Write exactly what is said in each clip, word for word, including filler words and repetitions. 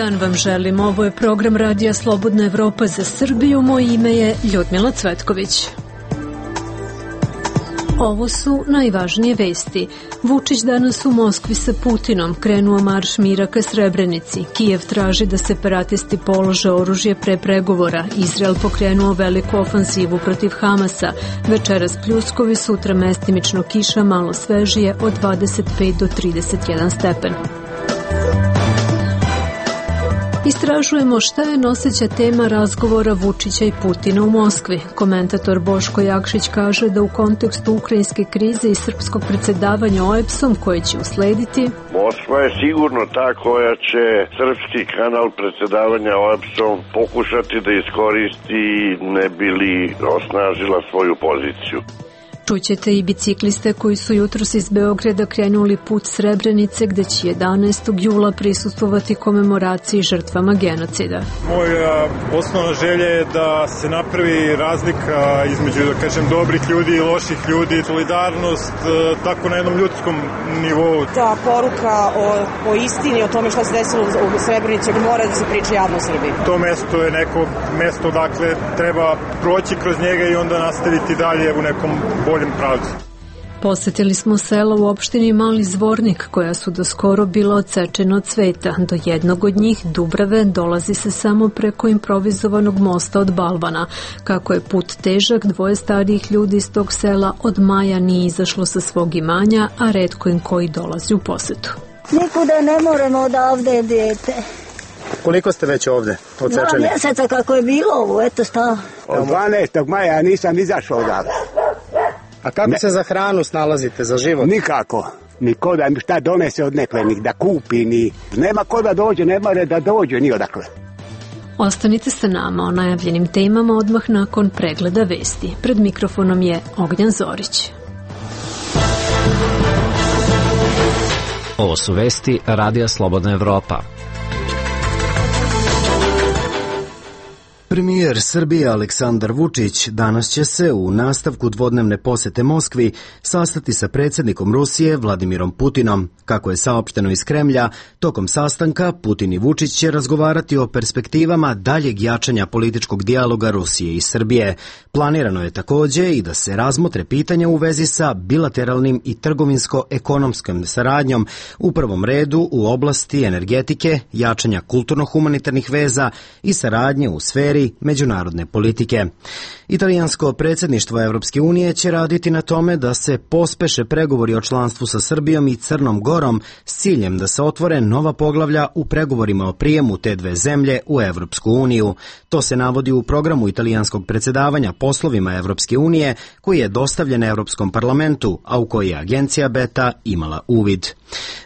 dan vam želim. Ovo je program Radija Slobodna Evropa za Srbiju. Moje ime je Ljudmila Cvetković. Ovo su najvažnije vesti. Vučić danas u Moskvi sa Putinom, krenuo marš mira ka Srebrenici. Kijev traži da separatisti polože oružje pre pregovora. Izrael pokrenuo veliku ofanzivu protiv Hamasa. Večeras pljuskovi, sutra mestimično kiša, malo svežije od dvadeset pet do trideset jedan stepen. Istražujemo šta je noseća tema razgovora Vučića i Putina u Moskvi. Komentator Boško Jakšić kaže da u kontekstu ukrajinske krize i srpskog predsjedavanja O E B S-om koje će uslediti, Moskva je sigurno ta koja će srpski kanal predsjedavanja O E B S-om pokušati da iskoristi ne bi li osnažila svoju poziciju. Čućete i bicikliste koji su jutros iz Beograda krenuli put Srebrenice, gde će jedanaestog jula prisustvovati komemoraciji žrtvama genocida. Moja osnovna želja je da se napravi razlika između, da kažem, dobrih ljudi i loših ljudi, solidarnost, tako na jednom ljudskom nivou. Ta poruka o, o istini, o tome što se desilo u Srebrenici mora da se priča javno u Srbiji. To mesto je neko mesto, dakle, treba proći kroz njega i onda nastaviti dalje u nekom boljem pravcu. Posetili smo sela u opštini Mali Zvornik, koja su do skoro bila odsečena od sveta. Do jednog od njih, Dubrave, dolazi se samo preko improvizovanog mosta od balvana. Kako je put težak, dvoje starijih ljudi iz tog sela od maja nije izašlo sa svog imanja, a retko im koji dolazi u posetu. Nikuda ne moramo odavde, dete. Koliko ste već ovde odsečeni? Dva mjeseca kako je bilo ovo, eto šta. Od dvanaestog maja ja nisam izašao odavde. A kako ne. se za hranu snalazite, za život? Nikako. Niko da mi šta donese od neklenih, da kupi, ni... Nema ko da dođe, ne more da dođe ni odakle. Ostanite sa nama o najavljenim temama odmah nakon pregleda vesti. Pred mikrofonom je Ognjan Zorić. Ovo su vesti Radija Slobodna Evropa. Premijer Srbije Aleksandar Vučić danas će se u nastavku dvodnevne posete Moskvi sastati sa predsjednikom Rusije Vladimirom Putinom. Kako je saopšteno iz Kremlja, tokom sastanka Putin i Vučić će razgovarati o perspektivama daljeg jačanja političkog dijaloga Rusije i Srbije. Planirano je također i da se razmotre pitanja u vezi sa bilateralnim i trgovinsko-ekonomskom saradnjom, u prvom redu u oblasti energetike, jačanja kulturno-humanitarnih veza i saradnje u sferi međunarodne politike. Italijansko predsjedništvo Evropske unije će raditi na tome da se pospeše pregovori o članstvu sa Srbijom i Crnom Gorom s ciljem da se otvore nova poglavlja u pregovorima o prijemu te dve zemlje u Evropsku uniju. To se navodi u programu italijanskog predsjedavanja poslovima Evropske unije koji je dostavljen Evropskom parlamentu, a u koji je agencija Beta imala uvid.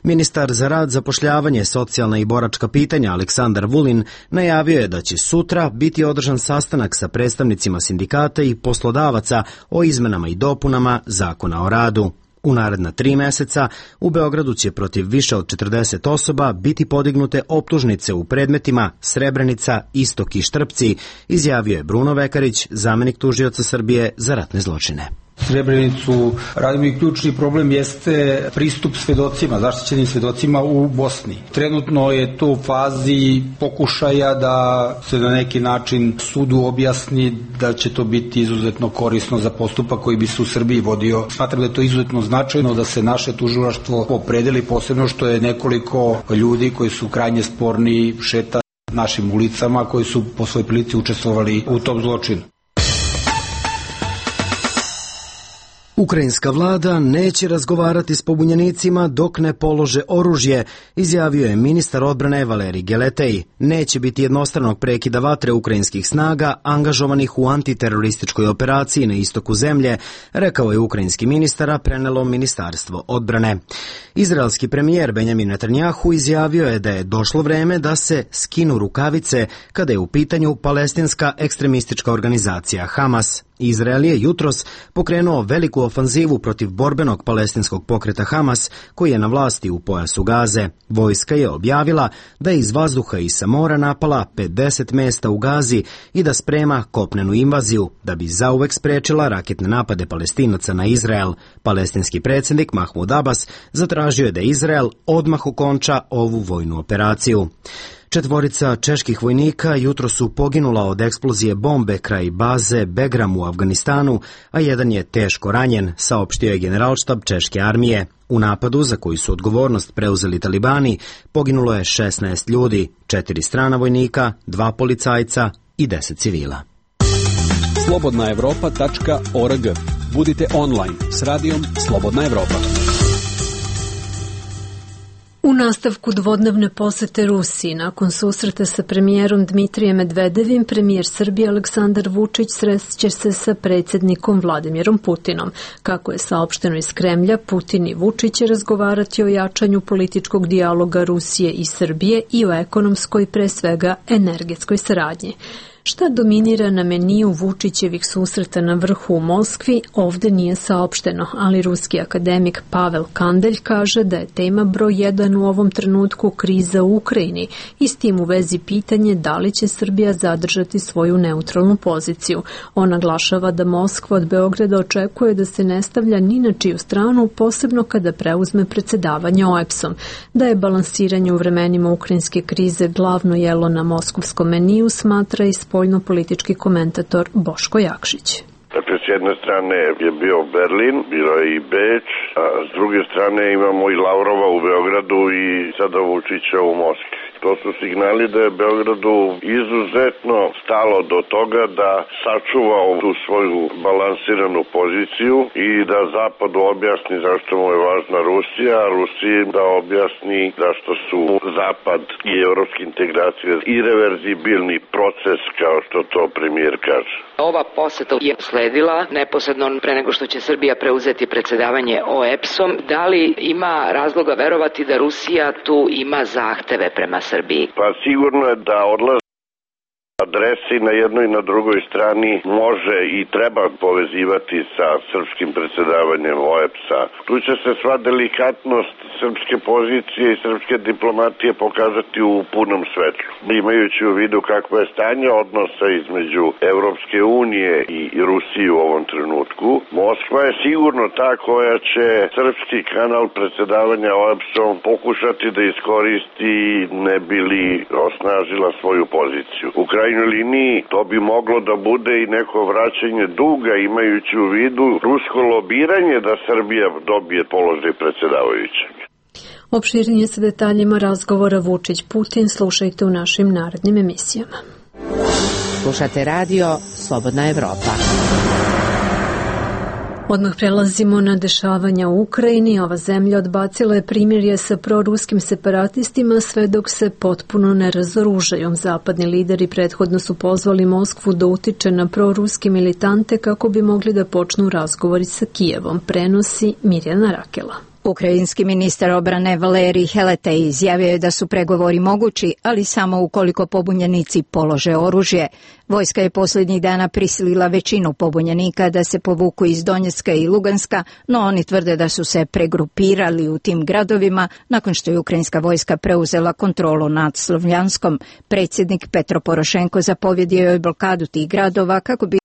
Ministar za rad, zapošljavanje, socijalna i boračka pitanja Aleksandar Vulin najavio je da će sutra biti održan sastanak sa predstavnicima sindikata i poslodavaca o izmenama i dopunama Zakona o radu. U naredna tri meseca u Beogradu će protiv više od četrdeset osoba biti podignute optužnice u predmetima Srebrenica, Istok i Štrpci, izjavio je Bruno Vekarić, zamenik tužioca Srbije za ratne zločine. Srebrenicu radimo i ključni problem jeste pristup svedocima, zaštićenim svedocima u Bosni. Trenutno je to u fazi pokušaja da se na neki način sudu objasni da će to biti izuzetno korisno za postupak koji bi se u Srbiji vodio. Smatram da je to izuzetno značajno da se naše tužilaštvo opredeli, posebno što je nekoliko ljudi koji su krajnje sporni šeta našim ulicama, koji su po svojoj prilici učestvovali u tom zločinu. Ukrajinska vlada neće razgovarati s pobunjenicima dok ne polože oružje, izjavio je ministar odbrane Valerij Geletej. Neće biti jednostranog prekida vatre ukrajinskih snaga angažovanih u antiterorističkoj operaciji na istoku zemlje, rekao je ukrajinski ministar, a prenelo Ministarstvo odbrane. Izraelski premijer Benjamin Netanjahu izjavio je da je došlo vreme da se skinu rukavice kada je u pitanju palestinska ekstremistička organizacija Hamas. Izrael je jutros pokrenuo veliku ofanzivu protiv borbenog palestinskog pokreta Hamas, koji je na vlasti u pojasu Gaze. Vojska je objavila da je iz vazduha i sa mora napala pedeset mesta u Gazi i da sprema kopnenu invaziju, da bi zauvek sprečila raketne napade Palestinaca na Izrael. Palestinski predsjednik Mahmud Abbas zatražio je da Izrael odmah okonča ovu vojnu operaciju. Četvorica čeških vojnika jutro su poginula od eksplozije bombe kraj baze Begram u Afganistanu, a jedan je teško ranjen, saopštio je Generalštab češke armije. U napadu, za koji su odgovornost preuzeli talibani, poginulo je šesnaest ljudi, četiri strana vojnika, dva policajca i deset civila. slobodna evropa tačka org. Budite online s radijom Slobodna Evropa. U nastavku dvodnevne posete Rusiji, nakon susreta sa premijerom Dmitrijem Medvedevim, premijer Srbije Aleksandar Vučić srešće se sa predsjednikom Vladimirom Putinom. Kako je saopšteno iz Kremlja, Putin i Vučić će razgovarati o jačanju političkog dijaloga Rusije i Srbije i o ekonomskoj, pre svega energetskoj saradnji. Šta dominira na meniju Vučićevih susreta na vrhu u Moskvi, ovde nije saopšteno, ali ruski akademik Pavel Kandelj kaže da je tema broj jedan u ovom trenutku kriza u Ukrajini i s tim u vezi pitanje da li će Srbija zadržati svoju neutralnu poziciju. On naglašava da Moskva od Beograda očekuje da se ne stavlja ni na čiju stranu, posebno kada preuzme predsjedavanje O E B S-om, da je balansiranje u vremenima ukrajinske krize glavno jelo na moskovskom meniju, smatra i spoljno-politički komentator Boško Jakšić. Dakle, s jedne strane je bio Berlin, bilo je i Beč, a s druge strane imamo i Lavrova u Beogradu i sada Vučića u Moskvi. To su signali da je Beogradu izuzetno stalo do toga da sačuva tu svoju balansiranu poziciju i da Zapadu objasni zašto mu je važna Rusija, a Rusiji da objasni zašto su Zapad i evropske integracije irreverzibilni proces, kao što to premijer kaže. Ova poseta je sledila neposredno pre nego što će Srbija preuzeti predsjedavanje O E B S-om. Da li ima razloga verovati da Rusija tu ima zahteve prema Srbiji? Pa sigurno je da odlaze adresi na jednoj i na drugoj strani može i treba povezivati sa srpskim predsjedavanjem O E B S-a. Tu će se sva delikatnost srpske pozicije i srpske diplomatije pokazati u punom svetlu. Imajući u vidu kakvo je stanje odnosa između Evropske unije i Rusije u ovom trenutku, Moskva je sigurno ta koja će srpski kanal predsjedavanja O E B S-om pokušati da iskoristi ne bi li osnažila svoju poziciju. U krajnjoj liniji to bi moglo da bude i neko vraćanje duga, imajući u vidu rusko lobiranje da Srbija dobije položaj predsjedavajućeg. Opširnije sa detaljima razgovora Vučić-Putin slušajte u našim narednim emisijama. Slušate radio Slobodna Evropa. Odmah prelazimo na dešavanja u Ukrajini. Ova zemlja odbacila je primirje sa proruskim separatistima sve dok se potpuno ne razoružaju. Zapadni lideri prethodno su pozvali Moskvu da utiče na proruske militante kako bi mogli da počnu razgovori sa Kijevom, prenosi Mirjana Rakela. Ukrajinski ministar obrane Valerij Heletej izjavio je da su pregovori mogući, ali samo ukoliko pobunjenici polože oružje. Vojska je posljednjih dana prisilila većinu pobunjenika da se povuku iz Donjecka i Luganska, no oni tvrde da su se pregrupirali u tim gradovima nakon što je ukrajinska vojska preuzela kontrolu nad Slovjanskom. Predsjednik Petro Porošenko zapovjedio je blokadu tih gradova kako bi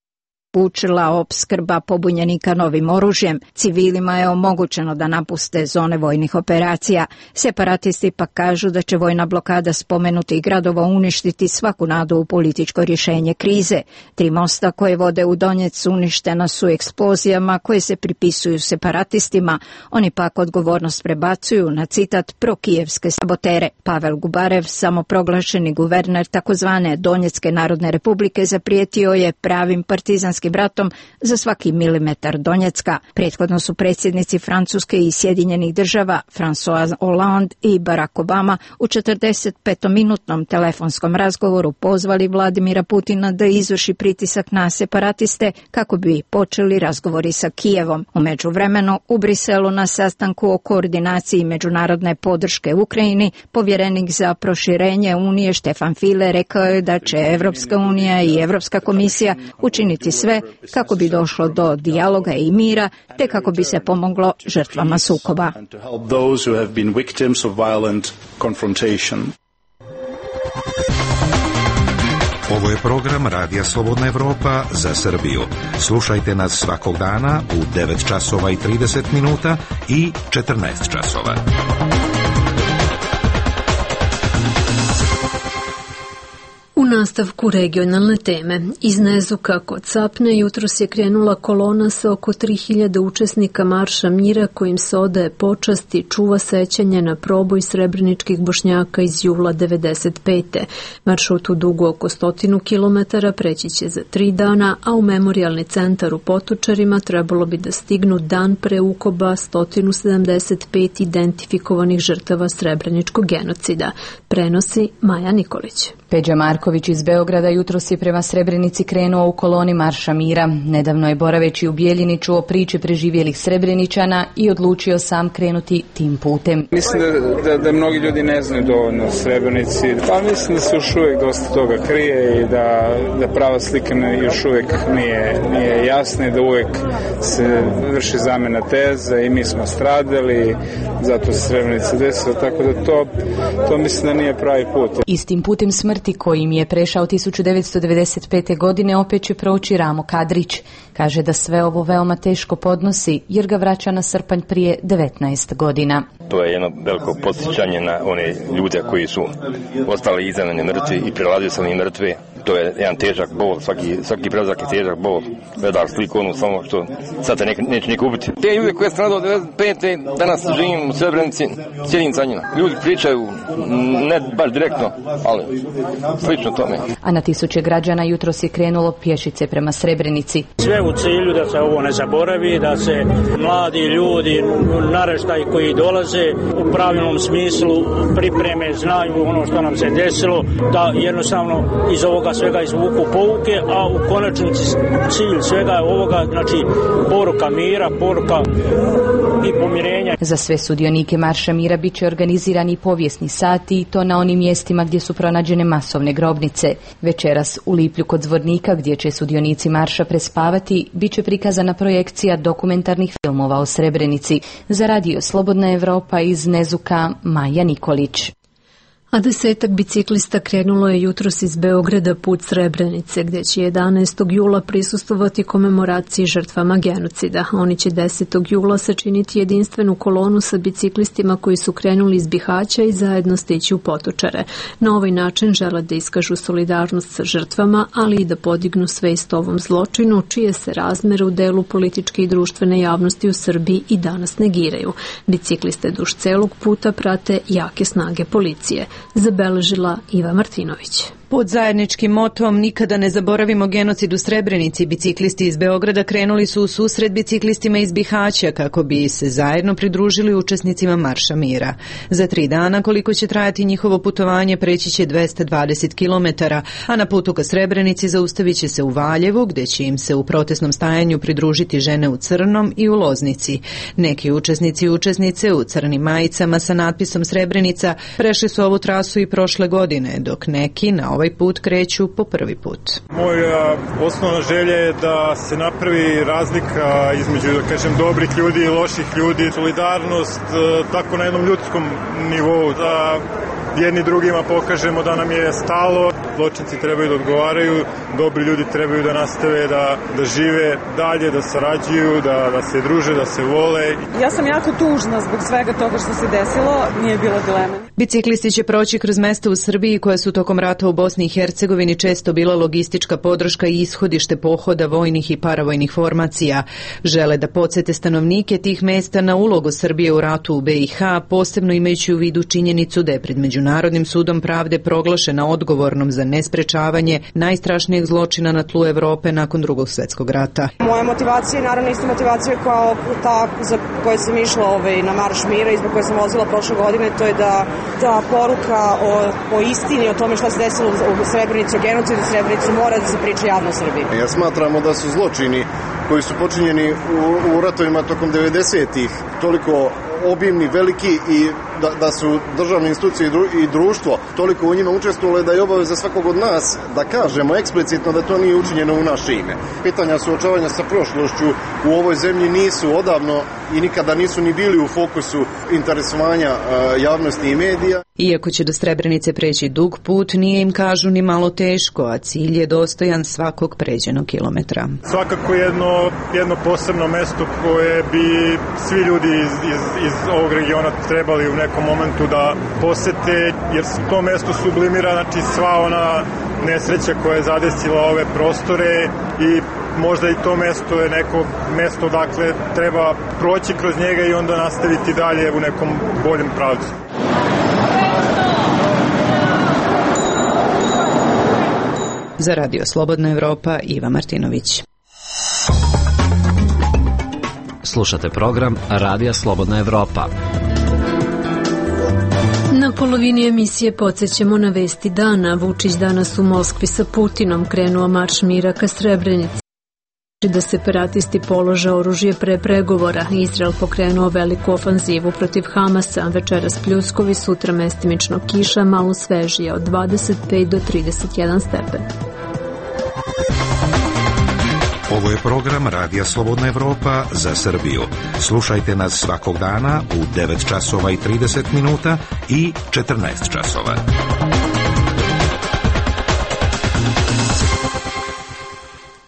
učila opskrba pobunjenika novim oružjem. Civilima je omogućeno da napuste zone vojnih operacija. Separatisti pak kažu da će vojna blokada spomenutih gradova uništiti svaku nadu u političko rješenje krize. Tri mosta koje vode u Donjec uništena su eksplozijama koje se pripisuju separatistima. Oni pak odgovornost prebacuju na citat prokijevske sabotere. Pavel Gubarev, samoproglašeni guverner takozvane Donjecke narodne republike, zaprijetio je pravim partizanskim bratom za svaki milimetar Donjecka. Prethodno su predsjednici Francuske i Sjedinjenih država François Hollande i Barack Obama u četrdesetpetominutnom telefonskom razgovoru pozvali Vladimira Putina da izvrši pritisak na separatiste kako bi počeli razgovori sa Kijevom. U međuvremenu u Briselu na sastanku o koordinaciji međunarodne podrške Ukrajini povjerenik za proširenje Unije Štefan File rekao je da će Evropska unija i Evropska komisija učiniti sve kako bi došlo do dijaloga i mira, te kako bi se pomoglo žrtvama sukoba. Ovo je program Radija Slobodna Evropa za Srbiju. Slušajte nas svakog dana u devet časova i trideset minuta i četrnaest časova. nastavku regionalne teme, iz Nezuka kod Sapne jutros je krenula kolona sa oko tri hiljade učesnika Marša mira kojim se odaje počast i čuva sećanje na proboj srebreničkih Bošnjaka iz jula devedeset pete. Maršrut u dugu oko stotinu kilometara preći će za tri dana, a u memorijalni centar u Potočarima trebalo bi da stignu dan pre ukoba stotinu sedamdeset pet identifikovanih žrtava srebreničkog genocida. Prenosi Maja Nikolić. Peđa Marković iz Beograda jutros je prema Srebrenici krenuo u koloni Marša mira. Nedavno je boraveći u Bijeljini čuo priče preživjelih Srebreničana i odlučio sam krenuti tim putem. Mislim da, da, da mnogi ljudi ne znaju dovoljno o Srebrenici. Pa mislim da se još uvijek dosta toga krije i da, da prava slika još uvijek nije, nije jasna i da uvijek se vrši zamjena teza i mi smo stradali, zato se Srebrenica desila, tako da to, to mislim da nije pravi put. Istim putem smrti kojim je prešao tisuću devetsto devedeset pete. godine opet će proći Ramo Kadrić. Kaže da sve ovo veoma teško podnosi jer ga vraća na srpanj prije devetnaest godina. To je jedno veliko podsjećanje na one ljude koji su ostali iznenadni mrtvi i prelazili se oni mrtve. To je jedan težak bol, svaki, svaki prelazak je težak bol. Gledaš sliku onu samo što sad te ne, neće niko ubiti. Te ljude koje sam nadao devedeset pete. danas živim u Srebrenici, sjedim sa njima. Ljudi pričaju, ne baš direktno, ali slično tome. A na tisuće građana jutros je krenulo pješice prema Srebrenici. Sve u cilju da se ovo ne zaboravi, da se mladi ljudi, naraštaji koji dolaze u pravilnom smislu pripreme, znaju ono što nam se desilo, da jednostavno iz ovoga svega izvuku pouke, a u konačnici cilj svega je ovoga, znači poruka mira, poruka i pomirenja. Za sve sudionike Marša mira bit će organizirani povijesni sati i to na onim mjestima gdje su pronađene masovne grobnice. Večeras u Liplju kod Zvornika, gdje će sudionici marša prespavati, bit će prikazana projekcija dokumentarnih filmova o Srebrenici. Za radio Slobodna Evropa iz Nezuka, Maja Nikolić. A desetak biciklista krenulo je jutros iz Beograda put Srebrenice, gdje će jedanaestog jula prisustvovati komemoraciji žrtvama genocida. Oni će desetog jula sačiniti jedinstvenu kolonu sa biciklistima koji su krenuli iz Bihaća i zajedno stići u Potočare. Na ovaj način žele da iskažu solidarnost sa žrtvama, ali i da podignu svest ovom zločinu, čije se razmere u delu političke i društvene javnosti u Srbiji i danas negiraju. Bicikliste duž celog puta prate jake snage policije. Zabeležila Iva Martinović. Pod zajedničkim motom nikada ne zaboravimo genocid u Srebrenici, biciklisti iz Beograda krenuli su u susret biciklistima iz Bihaća kako bi se zajedno pridružili učesnicima Marša mira. Za tri dana koliko će trajati njihovo putovanje preći će dvesta dvadeset kilometara, a na putu ka Srebrenici zaustavit će se u Valjevu, gdje će im se u protestnom stajanju pridružiti žene u crnom i u Loznici. Neki učesnici i učesnice u crnim majicama sa natpisom Srebrenica prešli su ovu trasu i prošle godine, dok neki na ovaj put kreću po prvi put. Moja osnovna želja je da se napravi razlika između, da kažem, dobrih ljudi i loših ljudi, solidarnost tako na jednom ljudskom nivou, da jedni drugima pokažemo da nam je stalo, zločinci trebaju da odgovaraju, dobri ljudi trebaju da nastave da, da žive dalje, da sarađuju, da, da se druže, da se vole. Ja sam jako tužna zbog svega toga što se desilo, nije bilo dileme. Biciklisti će proći kroz mesta u Srbiji koja su tokom rata u Bosni i Hercegovini često bila logistička podrška i ishodište pohoda vojnih i paravojnih formacija. Žele da podsjete stanovnike tih mesta na ulogu Srbije u ratu u B i H, posebno imajući u vidu činjenicu da je pred Međunarodnim sudom pravde proglašena odgovornom za nesprečavanje najstrašnijeg zločina na tlu Evrope nakon Drugog svjetskog rata. Moja motivacija je naravno isto motivacija kao ta za koju sam išla ovaj, na Marš mira i zbog koje sam vozila prošle godine, to je da ta poruka o, o istini, o tome što se desilo u Srebrenici, o genocidu u Srebrenici mora da se priča javno u Srbiji. Ja smatramo da su zločini koji su počinjeni u, u ratovima tokom devedesetih toliko obimni, veliki i da, da su državne institucije i, dru, i društvo toliko u njima učestvovale da je obaveza svakog od nas da kažemo eksplicitno da to nije učinjeno u naše ime. Pitanja suočavanja sa prošlošću u ovoj zemlji nisu odavno i nikada nisu ni bili u fokusu interesovanja uh, javnosti i medija. Iako će do Srebrenice preći dug put, nije im, kažu, ni malo teško, a cilj je dostojan svakog pređenog kilometra. Svakako jedno, jedno posebno mesto koje bi svi ljudi iz, iz, iz ovog regiona trebali u nekom momentu da posete, jer to mesto sublimira, znači, sva ona nesreća koja je zadesila ove prostore i možda i to mesto je neko mesto dakle treba proći kroz njega i onda nastaviti dalje u nekom boljem pravcu. Za Radio Slobodna Evropa, Iva Martinović. Slušate program Radija Slobodna Evropa. Na polovini emisije podsjećamo na vesti dana. Vučić danas u Moskvi sa Putinom, krenuo marš mira ka Srebrenici. Da separatisti polože oružje pre pregovora. Izrael pokrenuo veliku ofanzivu protiv Hamasa. Večeras pljuskovi, sutra mestimično kiša, malo svežije od dvadeset pet do trideset jedan stepen. Ovo je program Radija Slobodna Evropa za Srbiju. Slušajte nas svakog dana u devet časova i trideset minuta i četrnaest časova.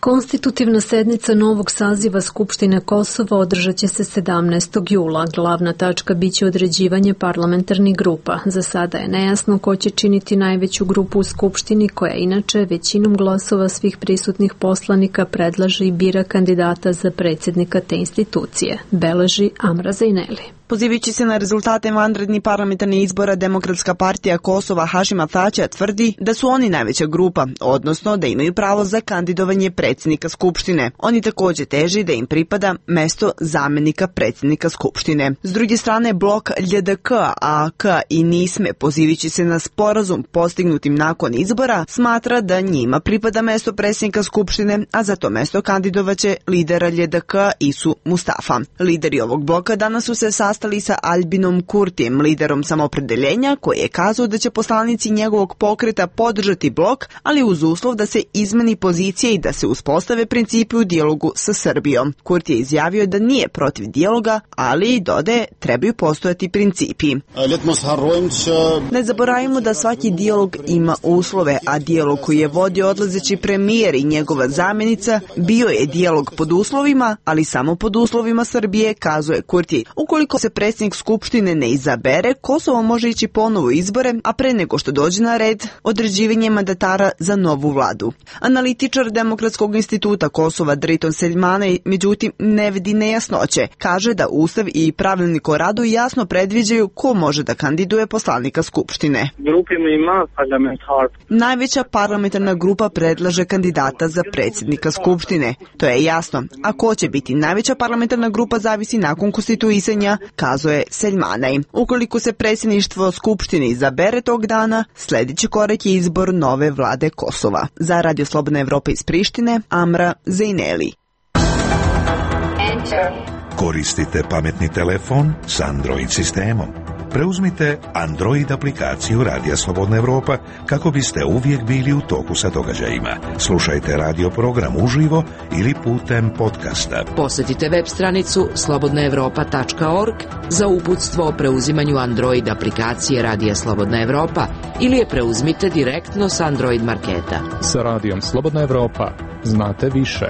Konstitutivna sednica novog saziva Skupštine Kosova održat će se sedamnaestog jula. Glavna tačka biće određivanje parlamentarnih grupa. Za sada je nejasno ko će činiti najveću grupu u Skupštini, koja inače većinom glasova svih prisutnih poslanika predlaže i bira kandidata za predsjednika te institucije, beleži Amra Zejneli. Pozivajući se na rezultate vanrednih parlamentarnih izbora, Demokratska partija Kosova Hašima Tačija tvrdi da su oni najveća grupa, odnosno da imaju pravo za kandidovanje predsjednika Skupštine. Oni također teži da im pripada mesto zamenika predsjednika Skupštine. S druge strane, blok L J D K, A K i Nisme, pozivajući se na sporazum postignutim nakon izbora, smatra da njima pripada mesto predsjednika Skupštine, a za to mesto kandidovaće lidera L J D K Isu Mustafa. Lideri ovog bloka danas su se sastali sa Albinom Kurtijem, liderom samopredeljenja, koji je kazao da će poslanici njegovog pokreta podržati blok, ali uz uslov da se izmeni pozicija i da se uspostave principi u dijalogu sa Srbijom. Kurti je izjavio da nije protiv dijaloga, ali i dodaje trebaju postojati principi. Ne zaboravimo da svaki dijalog ima uslove, a dijalog koji je vodio odlazeći premijer i njegova zamjenica bio je dijalog pod uslovima, ali samo pod uslovima Srbije, kazuje Kurti. Ukoliko se predsjednik Skupštine ne izabere, Kosovo može ići ponovo u izbore, a pre nego što dođe na red, određivanje mandatara za novu vladu. Analitičar Demokratskog instituta Kosova Driton Seljmane, međutim, ne vidi nejasnoće. Kaže da Ustav i pravilnik o radu jasno predviđaju ko može da kandiduje poslanika Skupštine. Najveća parlamentarna grupa predlaže kandidata za predsjednika Skupštine. To je jasno. A ko će biti najveća parlamentarna grupa zavisi nakon konstituisanja, kazuje Seljmanaj. Ukoliko se predsjedništvo Skupštine izabere tog dana, sljedeći korak je izbor nove vlade Kosova. Za Radio Slobodna Evropa iz Prištine, Amra Zejneli. Koristite pametni telefon s Android sistemom. Preuzmite Android aplikaciju Radija Slobodna Evropa kako biste uvijek bili u toku sa događajima. Slušajte radio program uživo ili putem podcasta. Posjetite web stranicu slobodna evropa tačka org za uputstvo o preuzimanju Android aplikacije Radija Slobodna Evropa ili je preuzmite direktno s Android marketa. Sa Radijom Slobodna Evropa znate više.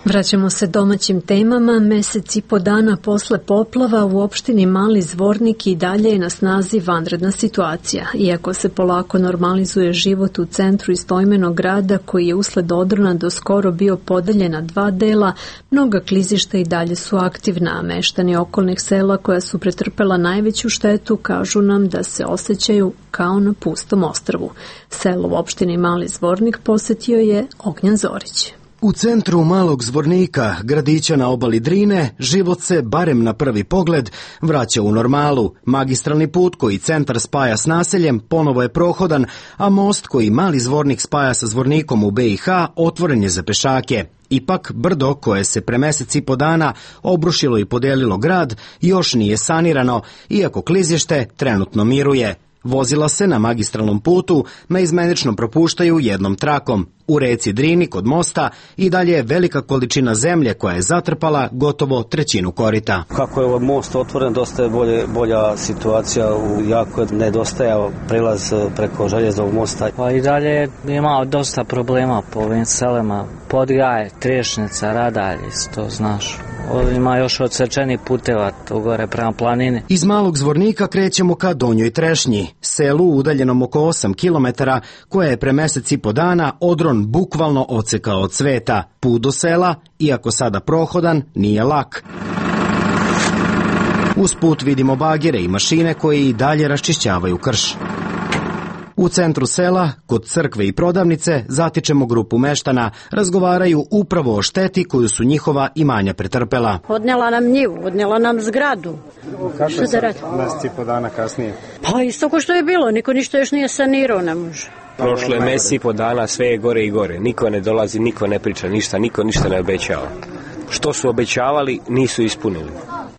Vraćamo se domaćim temama. Mesec i po dana posle poplava u opštini Mali Zvornik i dalje je na snazi vanredna situacija. Iako se polako normalizuje život u centru istoimenog grada, koji je usled odrona do skoro bio podeljen na dva dela, mnoga klizišta i dalje su aktivna, a meštani okolnih sela koja su pretrpela najveću štetu kažu nam da se osjećaju kao na pustom ostrvu. Selo u opštini Mali Zvornik posetio je Ognjan Zorić. U centru Malog Zvornika, gradića na obali Drine, život se, barem na prvi pogled, vraća u normalu. Magistralni put koji centar spaja s naseljem ponovo je prohodan, a most koji Mali Zvornik spaja sa Zvornikom u B i H otvoren je za pešake. Ipak, brdo koje se pre mesec i po dana obrušilo i podelilo grad još nije sanirano, iako klizište trenutno miruje. Vozila se na magistralnom putu neizmenično propuštaju jednom trakom. U reci Drini kod mosta i dalje je velika količina zemlje koja je zatrpala gotovo trećinu korita. Kako je ovaj most otvoren, dosta je bolje, bolja situacija, u jako je nedostajao prelaz preko željeznog mosta. Pa i dalje je imao dosta problema po ovim selima. Podgaje, Trešnica, Radalje, to znaš. Ima još odsečenih puteva tu gore prema planini. Iz Malog Zvornika krećemo ka Donjoj Trešnji, selu udaljenom oko osam kilometara, koje je pre mesec i po dana odron bukvalno odsekao od sveta. Put do sela, iako sada prohodan, nije lak. Uz put vidimo bagere i mašine koje i dalje raščišćavaju krš. U centru sela, kod crkve i prodavnice, zatičemo grupu meštana, razgovaraju upravo o šteti koju su njihova imanja pretrpela. Odnela nam njivu, odnela nam zgradu. Kako je sad, mesec i po dana kasnije? Pa isto ko što je bilo, niko ništa još nije sanirao, ne može. Prošlo je mesec i po dana, sve je gore i gore. Niko ne dolazi, niko ne priča ništa, niko ništa ne obećava. Što su obećavali, nisu ispunili.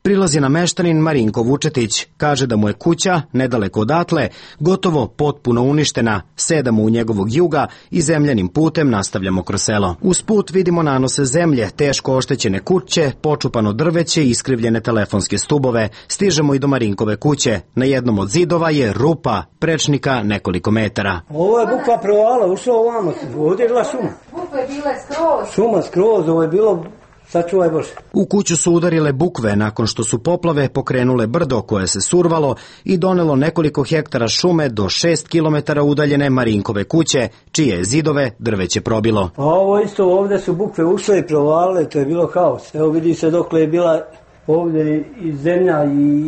Prilazi nam meštanin Marinko Vučetić. Kaže da mu je kuća, nedaleko odatle, gotovo potpuno uništena. Sedamo u njegovog juga i zemljanim putem nastavljamo kroz selo. Uz put vidimo nanose zemlje, teško oštećene kuće, počupano drveće i iskrivljene telefonske stubove. Stižemo i do Marinkove kuće. Na jednom od zidova je rupa, prečnika nekoliko metara. Ovo je bukva provala, ušlo ovamo, ovdje je bila šuma. Bukve bile skroz. Šuma skroz, ovo je bilo... Sačuvaj Bože. U kuću su udarile bukve nakon što su poplave pokrenule brdo koje se survalo i donelo nekoliko hektara šume do šest kilometara udaljene Marinkove kuće, čije zidove drveće probilo. A ovo isto, ovdje su bukve ušle i provalile, to je bilo haos. Evo vidi se dokle je bila ovdje i zemlja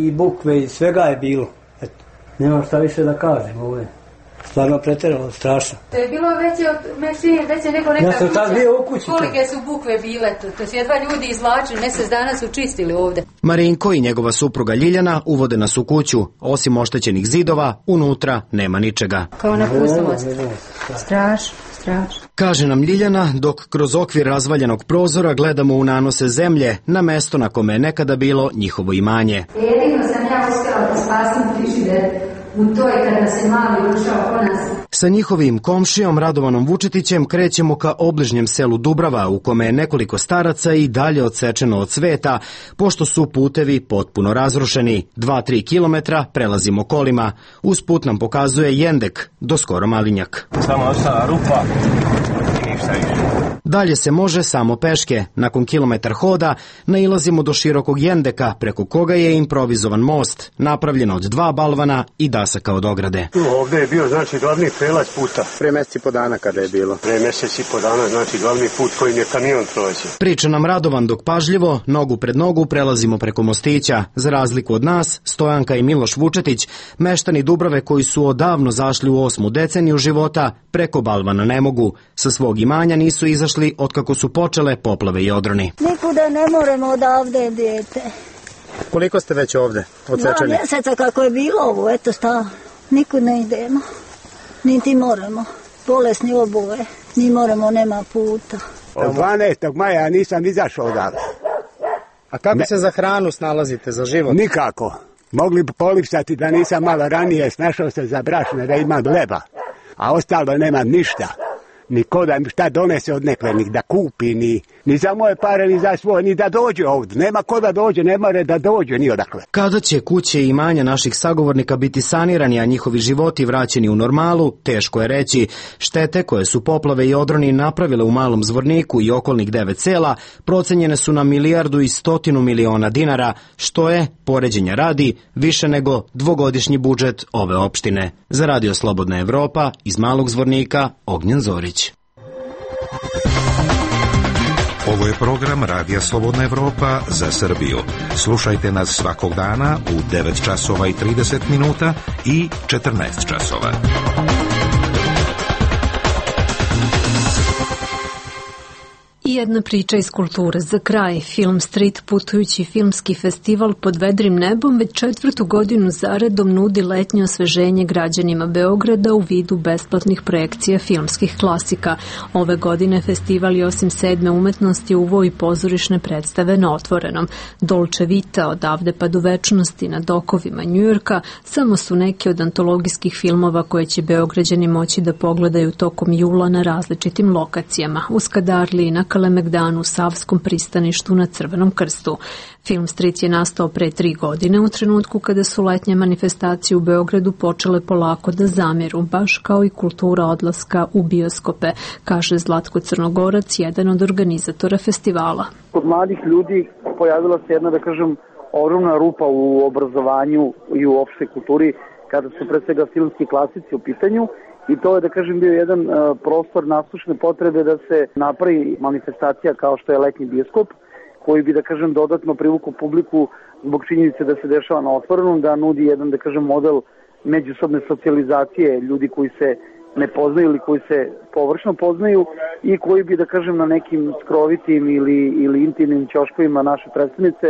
i bukve i svega je bilo. Eto, nema šta više da kažem, ovo je stvarno pretjeralo, strašno. To je bilo veće od mešine, veće nego neka ja sam tad bio u kući. Kolike su bukve bile, to, to su jedva ljudi izvlačili, mjesec dana su čistili ovdje. Marinko i njegova supruga Ljiljana uvode nas u kuću. Osim oštećenih zidova, unutra nema ničega. Kao na pustovost. Strašno, strašno. Kaže nam Ljiljana, dok kroz okvir razvaljenog prozora gledamo u nanose zemlje na mesto na kome je nekada bilo njihovo imanje. Jedino sam ja uspjela da spasim frižider. U toj kada se mali ušao po nas. Sa njihovim komšijom Radovanom Vučetićem krećemo ka obližnjem selu Dubrava, u kome je nekoliko staraca i dalje odsečeno od sveta, pošto su putevi potpuno razrušeni. Dva, tri kilometra prelazimo kolima. Uz put nam pokazuje Jendek, do skoro Malinjak. Samo ostala rupa i ništa više. Dalje se može samo peške. Nakon kilometar hoda nailazimo do širokog Jendeka, preko koga je improvizovan most, napravljen od dva balvana i dasaka od ograde. Ovdje je bio, znači, glavni prelaz puta. Pre mesec i po dana kada je bilo. Pre mesec i po dana, znači, glavni put kojim je kamion prođe. Priča nam Radovan dok pažljivo, nogu pred nogu, prelazimo preko mostića. Za razliku od nas, Stojanka i Miloš Vučetić, meštani Dubrave koji su odavno zašli u osmu deceniju života, preko balvana ne mogu. Sa svog imanja nisu izašli otkako su počele poplave i odroni. Nikuda ne moramo odavde, dijete. Koliko ste već ovde odsečeni? Dva mjeseca kako je bilo ovo, eto sta, nikud ne idemo, niti moramo. Bolesni oboje, ni moramo, nema puta. Od dvanaestog maja nisam izašao odavde. A kako ne. se za hranu snalazite, za život? Nikako. Mogli bi polipsati da nisam malo ranije snašao se za brašne, da imam leba. A ostalo nemam ništa. Niko da mi šta donese od neklenih, da kupi, ni, ni za moje pare, ni za svoje, ni da dođe ovdje. Nema ko da dođe, ne more da dođe ni odakle. Kada će kuće i imanja naših sagovornika biti sanirani, a njihovi životi vraćeni u normalu, teško je reći. Štete koje su poplave i odroni napravile u Malom Zvorniku i okolnih devet sela procenjene su na milijardu i stotinu miliona dinara, što je, poređenja radi, više nego dvogodišnji budžet ove opštine. Za Radio Slobodna Evropa, iz Malog Zvornika, Ognjen Zorić. Ovo je program Radija Slobodna Evropa za Srbiju. Slušajte nas svakog dana u devet časova i trideset minuta i četrnaest časova. I jedna priča iz kulture za kraj. Film Street, putujući filmski festival pod vedrim nebom, već četvrtu godinu zaredom nudi letnje osveženje građanima Beograda u vidu besplatnih projekcija filmskih klasika. Ove godine festival je osim sedme umetnosti uveo i pozorišne predstave na otvorenom. Dolce Vita, Odavde pa do večnosti, Na dokovima Njujorka, samo su neke od antologijskih filmova koje će Beograđani moći da pogledaju tokom jula na različitim lokacijama. U Skadarliji, na Kalemegdanu, Kalemegdanu, Savskom pristaništu na Crvenom krstu. Film Street je nastao pre tri godine u trenutku kada su letnje manifestacije u Beogradu počele polako da zamiru, baš kao i kultura odlaska u bioskope, kaže Zlatko Crnogorac, jedan od organizatora festivala. Kod mladih ljudi pojavila se jedna, da kažem, ogromna rupa u obrazovanju i u opštoj kulturi kada su pre svega filmski klasici u pitanju i to je, da kažem, bio jedan uh, prostor naslušne potrebe da se napravi manifestacija kao što je letnji bioskop, koji bi, da kažem, dodatno privukao publiku zbog činjenice da se dešava na otvorenom, da nudi jedan, da kažem, model međusobne socijalizacije ljudi koji se ne poznaju ili koji se površno poznaju i koji bi, da kažem, na nekim skrovitim ili, ili intimnim ćoškovima naše predstavnice,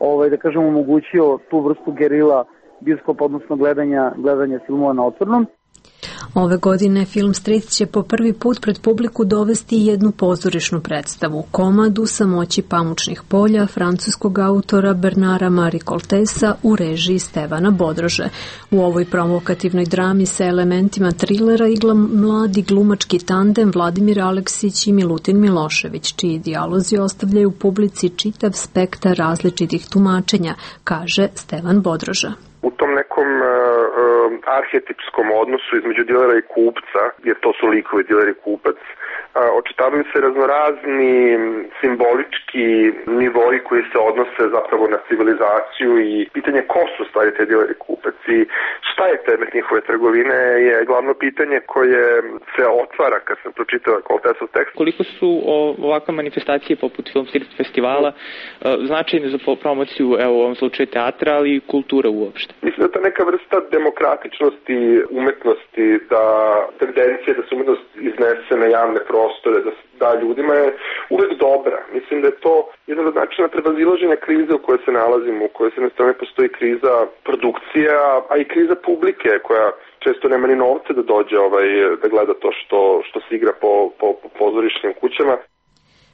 ovaj, da kažem, omogućio tu vrstu gerila bioskopa, odnosno gledanja, gledanja filmova na otvorenom. Ove godine Film Street će po prvi put pred publiku dovesti jednu pozorišnu predstavu, komadu Samoći pamučnih polja francuskog autora Bernara Marie Coltesa u režiji Stevana Bodrože. U ovoj provokativnoj drami sa elementima trilera igla mladi glumački tandem Vladimir Aleksić i Milutin Milošević, čiji dijalozi ostavljaju publici čitav spektar različitih tumačenja, kaže Stevan Bodroža. U tom nekom uh, arhetipskom odnosu između dilera i kupca, jer to su likovi diler i kupac, uh, očitavaju se raznorazni simbolički nivoi koji se odnose zapravo na civilizaciju i pitanje ko su stvari te diler i kupac i šta je predmet njihove trgovine je glavno pitanje koje se otvara kad sam pročitao Coltesov tekst. Koliko su ovakve manifestacije poput Film Street festivala uh, značajne za promociju, evo u ovom slučaju teatra, ali i kultura uopšte? Mislim da je to neka vrsta demokratičnosti umetnosti, da tendencija da se umetnost iznese na javne prostore, da da ljudima je uvek dobra. Mislim da je to jedan od načina prevazilaženja krize u kojoj se nalazimo, u kojoj se na strane postoji kriza produkcija, a i kriza publike koja često nema ni novce da dođe ovaj, da gleda to što, što se igra po, po, po pozorišnim kućama.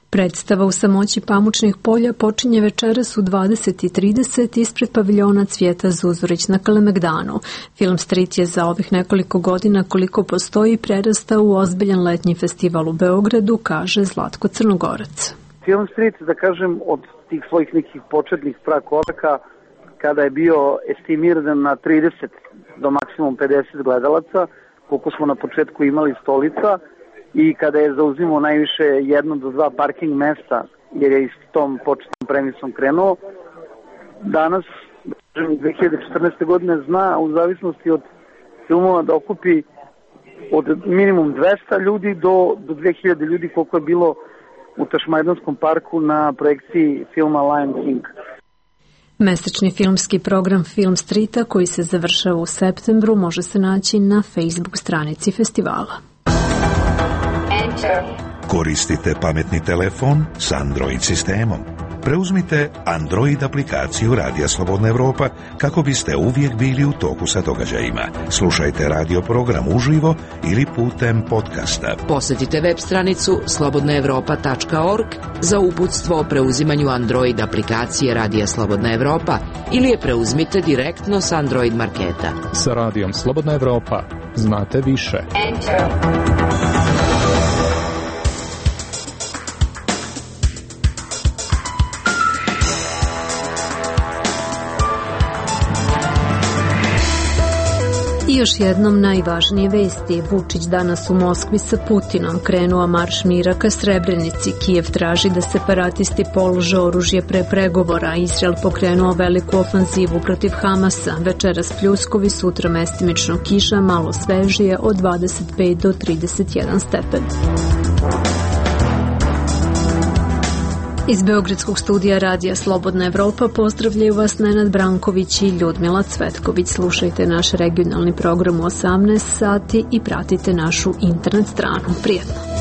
Predstava u Samoći pamučnih polja počinje večeras u dvadeset i trideset ispred paviljona Cvijeta Zuzorić na Kalemegdanu. Film Street je za ovih nekoliko godina koliko postoji prerastao u ozbiljan letnji festival u Beogradu, kaže Zlatko Crnogorac. Film Street, da kažem, od tih svojih nekih početnih prakoraka, kada je bio estimiran na trideset do maksimum pedeset gledalaca, koliko smo na početku imali stolica, i kada je zauzimao najviše jedno do dva parking mesta, jer je s tom početnom premisom krenuo, danas, dve hiljade četrnaeste. godine, zna u zavisnosti od filmova da okupi od minimum dvesta ljudi do, do dve hiljade ljudi, koliko je bilo u Tašmajdonskom parku na projekciji filma Lion King. Mesečni filmski program Film Streeta, koji se završava u septembru, može se naći na Facebook stranici festivala. Koristite pametni telefon s Android sistemom. Preuzmite Android aplikaciju Radija Slobodna Evropa kako biste uvijek bili u toku sa događajima. Slušajte radio program uživo ili putem podcasta. Posjetite web stranicu slobodna evropa tačka org za uputstvo o preuzimanju Android aplikacije Radija Slobodna Evropa ili je preuzmite direktno s Android marketa. Sa Radijom Slobodna Evropa znate više. Enter. I još jednom najvažnije vesti. Vučić danas u Moskvi sa Putinom. Krenuo marš mira ka Srebrenici. Kijev traži da separatisti polože oružje pre pregovora. Izrael pokrenuo veliku ofanzivu protiv Hamasa. Večeras pljuskovi, sutra mestimično kiša, malo svežije od dvadeset pet do trideset jedan stepen. Iz Beogradskog studija Radija Slobodna Evropa pozdravljaju vas Nenad Branković i Ljudmila Cvetković. Slušajte naš regionalni program u osamnaest sati i pratite našu internet stranu. Prijetno!